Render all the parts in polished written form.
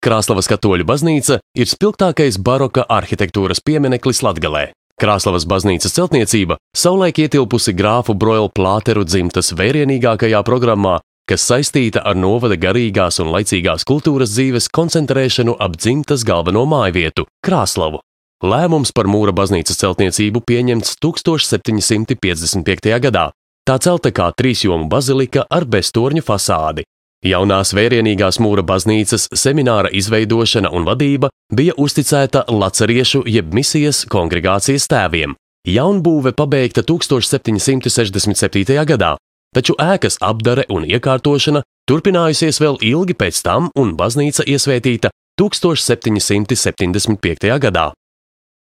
Krāslavas katoļu baznīca ir spilgtākais baroka arhitektūras piemineklis Latgalē. Krāslavas baznīcas celtniecība savulaik ietilpusi grāfu Broila Plāteru dzimtas vērienīgākajā programmā, kas saistīta ar novada garīgās un laicīgās kultūras dzīves koncentrēšanu ap dzimtas galveno mājvietu – Krāslavu. Lēmums par mūra baznīcas celtniecību pieņemts 1755. gadā. Tā celta kā trīsjomu bazilika ar beztorņu fasādi. Jaunās vērienīgās mūra baznīcas semināra izveidošana un vadība bija uzticēta laceriešu jeb misijas kongregācijas tēviem. Jaunbūve pabeigta 1767. gadā, taču ēkas apdare un iekārtošana turpinājusies vēl ilgi pēc tam un baznīca iesvētīta 1775. gadā.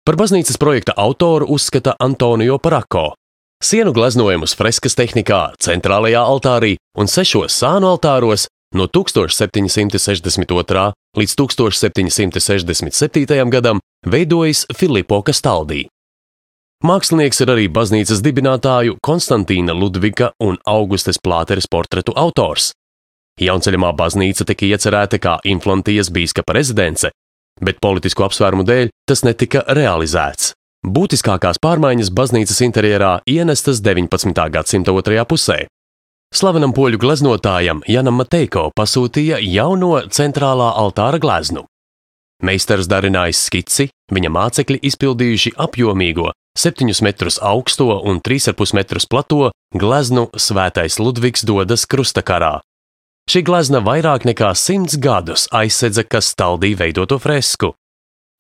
Par baznīcas projekta autoru uzskata Antonio Parako. Sienu gleznojumus freskas tehnikā, centrālajā altārī un 6 sānu altāros no 1762. līdz 1767. gadam veidojis Filippo Castaldi. Mākslinieks ir arī baznīcas dibinātāju Konstantīna Ludvika un Augustes Plāteres portretu autors. Jaunceļamā baznīca tika iecerēta kā Inflantijas bīskapa rezidence, bet politisku apsvērumu dēļ tas netika realizēts. Būtiskākās pārmaiņas baznīcas interjerā ienestas 19. gadsimta otrajā pusē. Slavenam poļu gleznotājam Janam Mateiko pasūtīja jauno centrālā altāra gleznu. Meistars darinājis skici, viņa mācekļi izpildījuši apjomīgo 7 metrus augsto un 3,5 metrus plato gleznu Svētais Ludvigs dodas krustakarā. Šī glezna vairāk nekā 100 gadus aizsedza Castaldi veidoto fresku.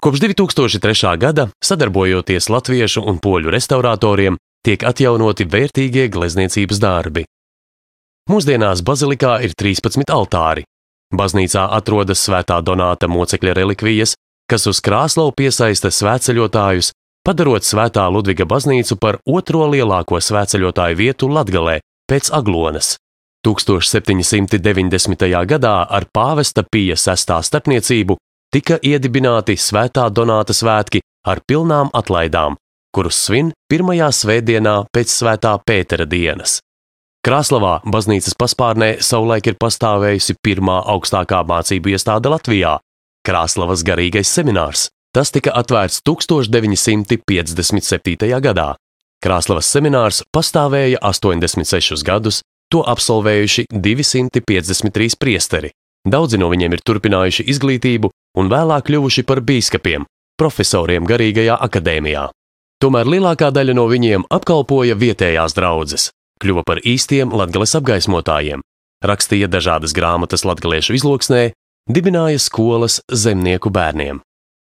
Kopš 2003. gada, sadarbojoties latviešu un poļu restauratoriem, tiek atjaunoti vērtīgie glezniecības darbi. Mūsdienās bazilikā ir 13 altāri. Baznīcā atrodas Svētā Donāta mocekļa relikvijas, kas uz Krāslavu piesaista svētceļotājus, padarot Svētā Ludviga baznīcu par otro lielāko svētceļotāju vietu Latgalē pēc Aglonas. 1790. gadā ar pāvesta Pija VI starpniecību tika iedibināti Svētā Donāta svētki ar pilnām atlaidām, kurus svin pirmajā svētdienā pēc Svētā Pētera dienas. Krāslavā baznīcas paspārnē savulaik ir pastāvējusi pirmā augstākā mācību iestāde Latvijā – Krāslavas garīgais seminārs. Tas tika atvērts 1957. gadā. Krāslavas seminārs pastāvēja 86 gadus, to absolvējuši 253 priesteri. Daudzi no viņiem ir turpinājuši izglītību un vēlāk kļuvuši par bīskapiem, profesoriem garīgajā akadēmijā. Tomēr lielākā daļa no viņiem apkalpoja vietējās draudzes, kļuva par īstiem Latgales apgaismotājiem, rakstīja dažādas grāmatas latgaliešu izloksnē, dibināja skolas zemnieku bērniem.